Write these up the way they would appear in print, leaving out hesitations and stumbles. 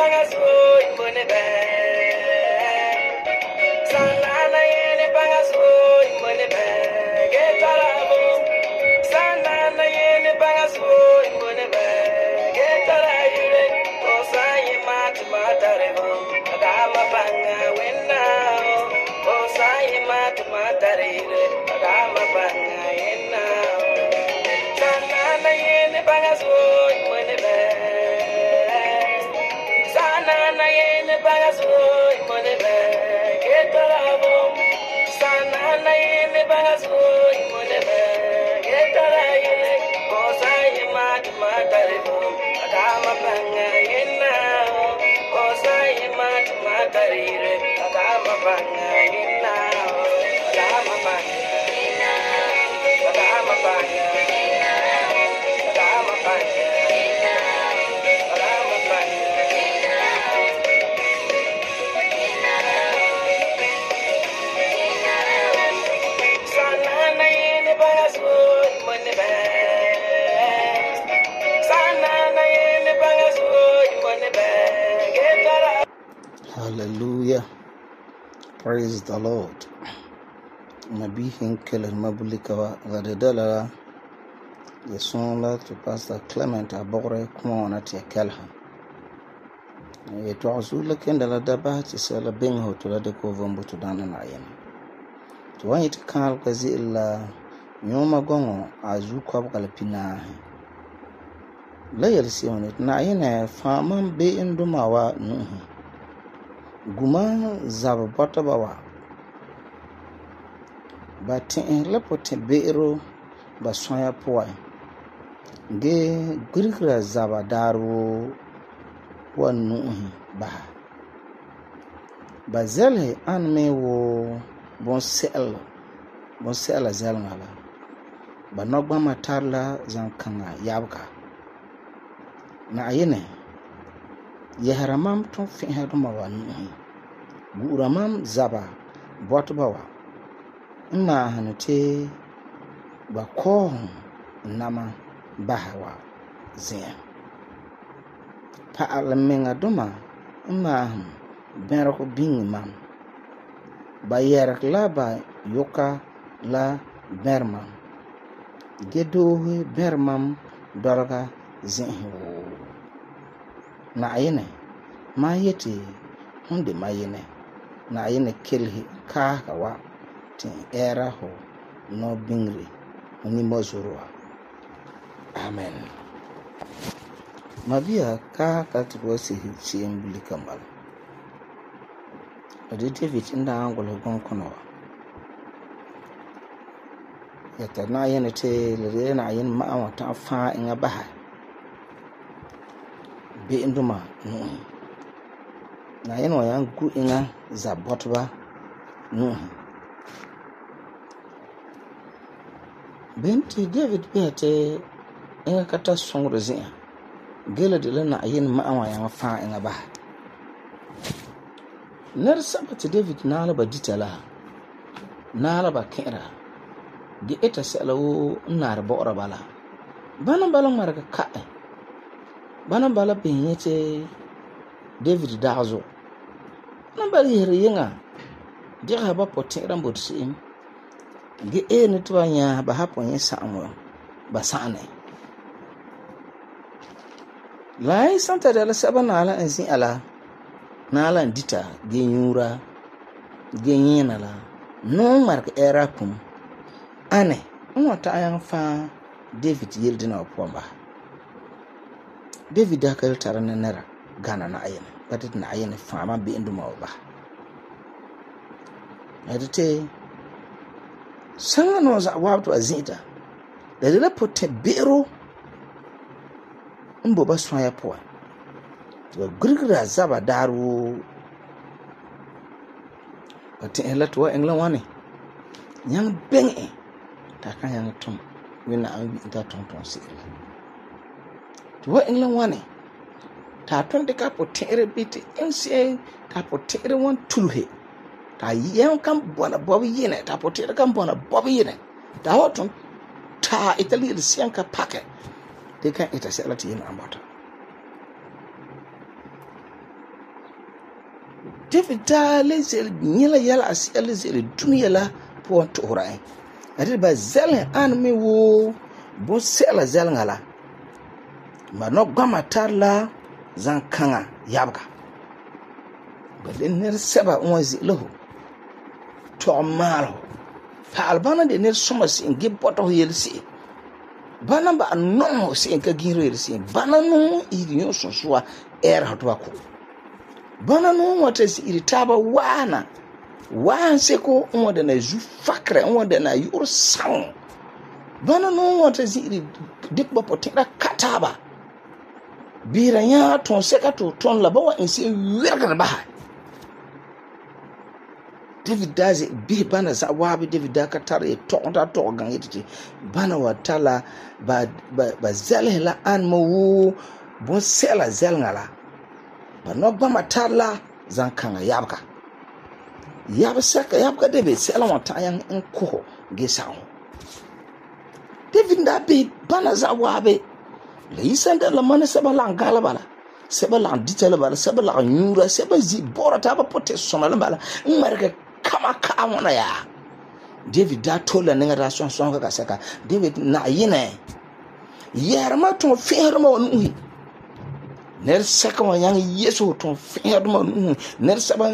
bagas boy money bag. Sanana yene bagas boy money bag. Get tarabo. Sanana yene bagas boy money bag. Get tarayure. Osayi matarevo. Adama banga winna. Osayi matarevo. Adama banga winna. Sanana yene bagas boy money bag. Sanana yene bagas boy money bag. Get tarabo. Sanana yene bagas boy money bag. Get tarayure. Osayi matarevo. Adama banga winna. Osayi matarevo. Adama banga winna. Adama banga. Adama banga. Adama banga. Adama banga. Sanana yene bagas boy money bag. Sanana yene bagas boy money bag. Get tarabo. Hallelujah. Praise the Lord. Nabi Hinkel Mabulikawa Gadadala. The song to Pastor Clement Abore Kumona Tia Kelha. It was Ulakendala Daba to sell a bingo to let the Kovumbu to Dananayan. To want it call Kazilla Nyoma Gongo Azuka Galapina. Layel see on it, Naina, Farman Bay in Dumawa, Guma Zababawa. But in Lepote Beiro Baswaya Poi. Ge Grigra Zabadaru one bah. Bazele anme wo bonsel zelngala. Banogba matarla zankanga yabka. Na ayene yeharamam ton fihaduma wa buramam zaba botbawa. Ima hanete bako nama bahawa zin. Pa alaminga duma ima benroko bing mam. Ba yerak la ba yoka la bermam. Gedohe bermam dorga zin. Na ayene ma yeti hunde ma yene. Na ayene kelhi kawa tin era ho no bingri ni mozurwa. Amen. Mabia ka katuwasi hichi mbuli kamal. Adi David inda angulo gonkono. Yata na yene te lere na yene ma'awa ta fa inga baha. Be induma nuhi. Na yene wa yangu inga za botba nuhi. Benti David bihate inga kata songro zin. Gela de la na yene ma'awa yang fa inga baha. Ner sabati David nala ba ditala. Nala ba kera. Ge eta sela wo nar bora bala. Bana bala marga kae. Bana bala penyete David dazo. Bana bala yere yenga. Dira ba potera mbotsi. Ge ene twanya ba hapo nyesa amwo. Ba sane. Lai santa dala sabana ala enzi ala. Nala ndita genyura genyena la no mark era pum ane nwata ayan fa David yildi na opomba David akal tarana nera gana na ayene batit na ayene fa ma bi induma oba adite sanga no za wabto azita da dela pote bero mbo baswa ya po Grigra zaba daru Ati elatwa engla wani Nyang benge Taka yang tum Wina ambi ita tonton sikila Tuwa engla wani Ta tonte ka potere biti Ensi ta potere wan tulhe Ta yang kam buwana bobi yene Ta potere kam buwana bobi yene Ta hoton Ta itali siyanka pake Deka ita selati yene ambata David daa le ze'ele nyɛla yɛla asi'a le ze'ele dunia la puan tuhura en. Ade ba zɛleŋ an me wo bonsɛ'la zɛleŋa la. Ma nɔgbama tare la zankaŋa yabega. Ba le nɛresɛba n wan ze'ele ho tɔgɛ maale ho. Pa'al bana de nɛresoma se'em ge bɔta ho yele se'em. Bana ba nɔŋ ho se'em ka ginro yele se'em. Bana no iri yɔ sunsuwa ɛɛra ho toba ko. Bana no wata iri taaba waana. Waan seko n wa dana zu fakra n wa dana yu'ur saŋ. Bana no wata iri dik ba potera kataba. Bira nya ton seka to ton la ba wa inse wergara ba. David daze bi bana za wabi David da ka tare tonta to gan yiti bana wa tala ba zalhe la an mo wo bon sela zelngala ba no ba matala zan kan yabka yabka David sela wa ta yan en ko ge sawo David da bi bana za wabi le yisanda la mana saba la galaba la saba la ditela bala saba la nyura saba zi bora ta ba pote sona la bala marka kama ka wana ya David da tola ninga da son ka saka David na yine yarma ton ferma wonu ner saka wa yang yeso ton ferma wonu ner saba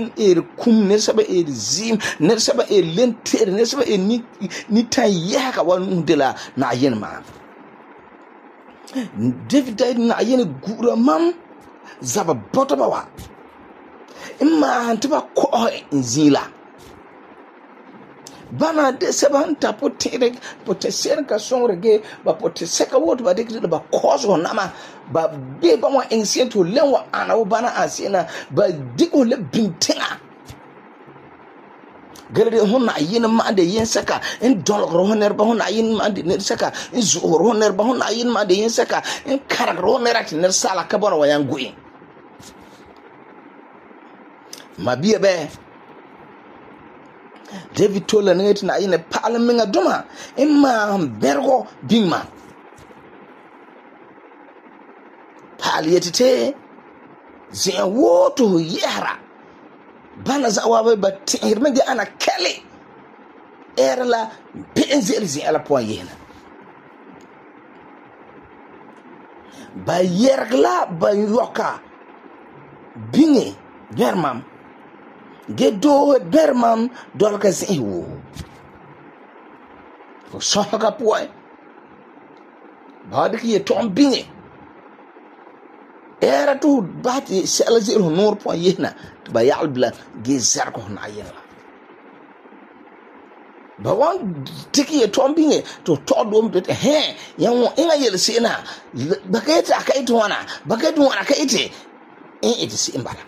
kum ner saba zim ner saba lenter ner saba ni tan yaka wonu de la na yine ma David da na yine gura mam zaba botaba wa imma antiba ko nzila bana de sebanta potere potesere ka songrege ba poteseka wot ba de ba kozo nama ba be ba wa ancient to lenwa ana wo bana asina ba diko le bintina galade honna yin ma de yin saka in dol rohner ba honna yin ma de ne saka in zu rohner ba honna yin ma de yin saka in karak rohner at ne sala ka bona wa yan gui ma biye be David tola ngeti na ine pala minga duma imma bergo bingma pali yetite zin woto yara bana za wabe bat hirmenge ana kale erla benzel zin ala point yena ba yergla ba yoka bingi bermam Gedo bermam dolka zewo. Ko sohaka poy. Badik ye tom binge. Era tu bati sela zero nor point yena ba yalbla gezar ko na yena. Ba wan tiki ye tom binge to todom bet he yan ina yel sena baketa akaito wana baketu wana kaite iti si imbala.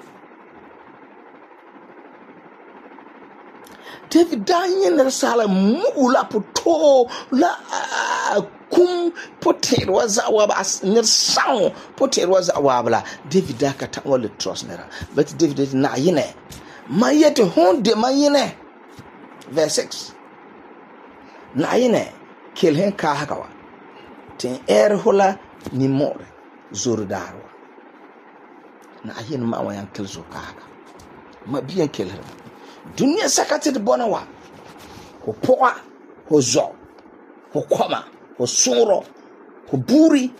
David danyen na sala mula poto la kum poter waza waba nir sang poter waza wabla David da ka ta wala trust nera but David na yene mayete honde mayene verse 6 na yene kel hen ka hakawa ten hola ni more zoro darwa na yene ma wayan kel zo ka haka ma biyan kel dunia sakati de bonawa ho poa ho zo ho koma ho suro ho buri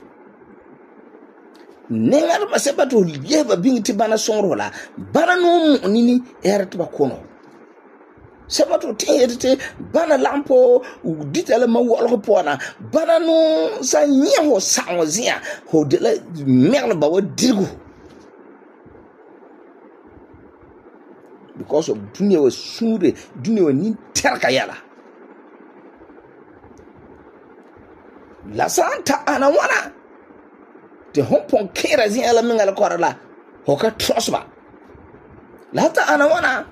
nengar maseba to yeba bingiti bana suro la bana no nini erata ba kono seba to tete bana lampo ditala ma wolo pona bana no sa nyeho sawozia ho de la merle ba wa dirgu because of dunia was sure dunia wa ni terka yala la santa ana wana te hompon kera zin ala mingala korala hoka trosba la ta ana wana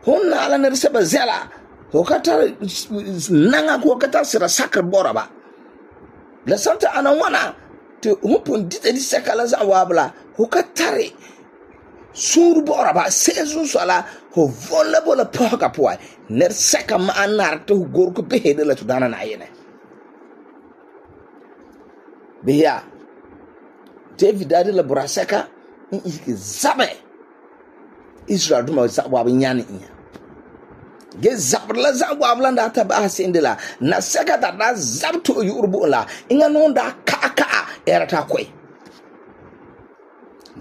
honna ala ne reseba zela hoka ta nanga ko kata sira sakar boraba la santa ana wana te hompon dite di sakala za wabla hoka tare sur boraba sezu sala ho volable la poka poa ner seka ma anar to gorko be hede la to dana na yene biya David ade la braseka in zabe Israel duma zawa nyane iya ge zabla zawa bla da ta ba sin de la na seka da zabto yurbu la inga non da ka era ta koi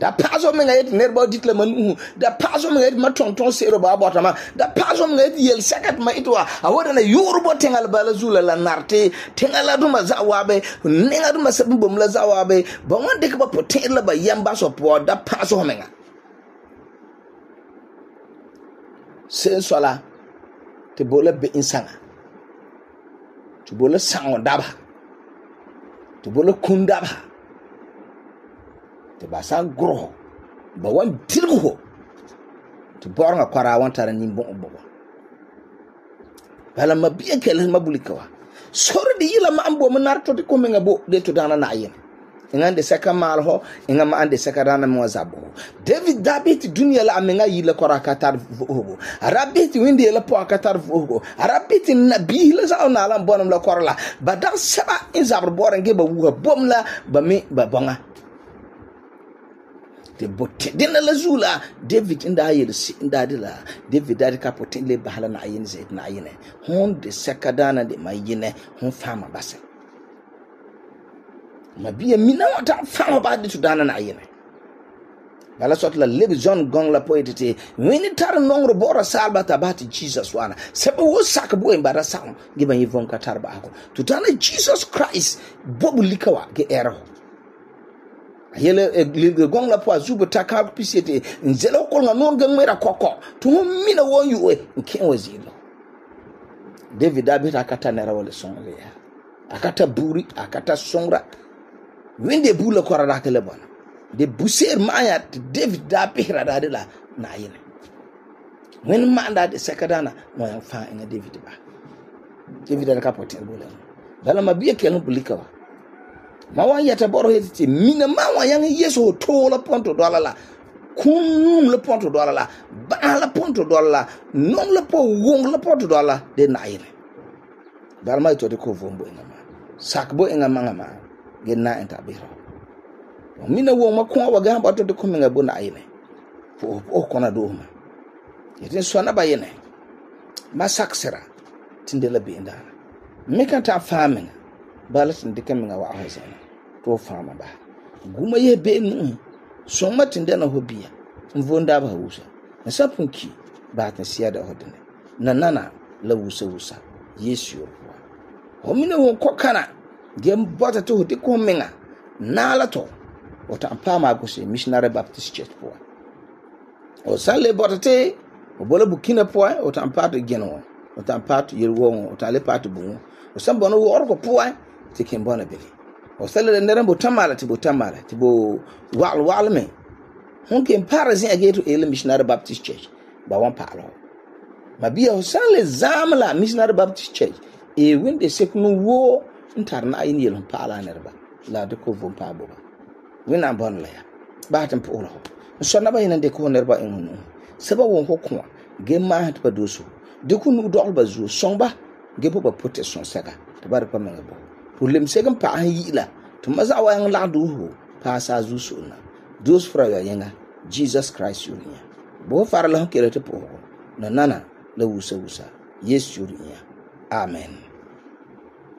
da pazo me ngayet nerba ditla man da pazo me ngayet matonton sero ba botama da pazo me ngayet yel sekat ma itwa awoda na yurbo tengal bala zula la narte tengala duma zawabe nenga duma sabum la zawabe ba wonde ka ba potela ba yamba so po da pazo me nga sen sola te bola be insanga te bola sango daba te bola kundaba te basa gro ba wan dirgo te bornga kwara wan tara nimbo bobo bala mabiya kele mabulikawa sore di yila ma ambo manarto de ko menga bo de to dana na yin ingande seka mal ho inga ma ande seka dana mo zabo David dabit dunia la amenga yila kora katar vugo arabit windi la po katar vugo arabit nabi la za na la bonam la korla badar saba in zabr borange ba wuha bomla ba me ba bonga te botte dina la zula David inda yelsi inda dila David dadi kapotin le bahala na ayin zaid na ayine hon de seka dana de mayine hon fama basa mabiya mina wata fama ba de tudana na ayine bala sot la lebe John gong la poetete wini tar nongro bora salba tabati Jesus wana sebe wo sak bo en bara sam giba yivon ka tarba ako tutana Jesus Christ bobu likawa ge ero yele le gong la po azuba taka pisete nzelo ko nga non gang mera koko to mina won yu ken wazilo David abita akata nera wala songa ya akata buri akata songra winde bula ko rada kele bona de buser maya David da pihra da la na yene when manda de sekadana mo yan fa ina David ba David da kapote bula dala mabiya kelen bulikawa ma wan yata boro heti mina ma wan yang yeso to la ponto dola la kun le ponto dola la ba la ponto dola la non le po wong le ponto dola de na yene dala mai to de ko vombo ina ma sak bo ina manga ma ge na enta biro mina wo ma ko wa ga ba to de ko menga bo na yene fo o kona do ma yete so na ba yene ma saksera tindela be ndana me kan ta famin balatin de kaminga wa ahazana to fama ba guma ye be nu so matin da na hobiya mvonda ba wusa na sapunki ba ta siya da hodene na nana la wusa yesu yo o mina won kokana gem bota to de ko menga na la to o ta pama go se missionary baptist church po o sale bota te o bola bukina po o ta pato geno o ta pato yerwo o ta le pato bu o sambono wo orko po tikin bona bele o sale de ndere bo tamala tibo wal me hon ken parazin ageto ele missionary baptist church ba wan palo mabia o sale zamla missionary baptist church e winde sekunu wo ntarna ayin yelon pala nerba la de ko vom pa bo wina bon la ya ba tan po lo so na ba yin de ko nerba en seba won ko ko ge ma hat ba doso de ku nu dol ba zo somba ge bo ba protection sega tabar pa me bo problem segam pa yila to maza wa yang la do pa sa zu suna dos fra ya yanga Jesus Christ yuriya bo far la kele te po na nana la wusa yesu yuriya amen.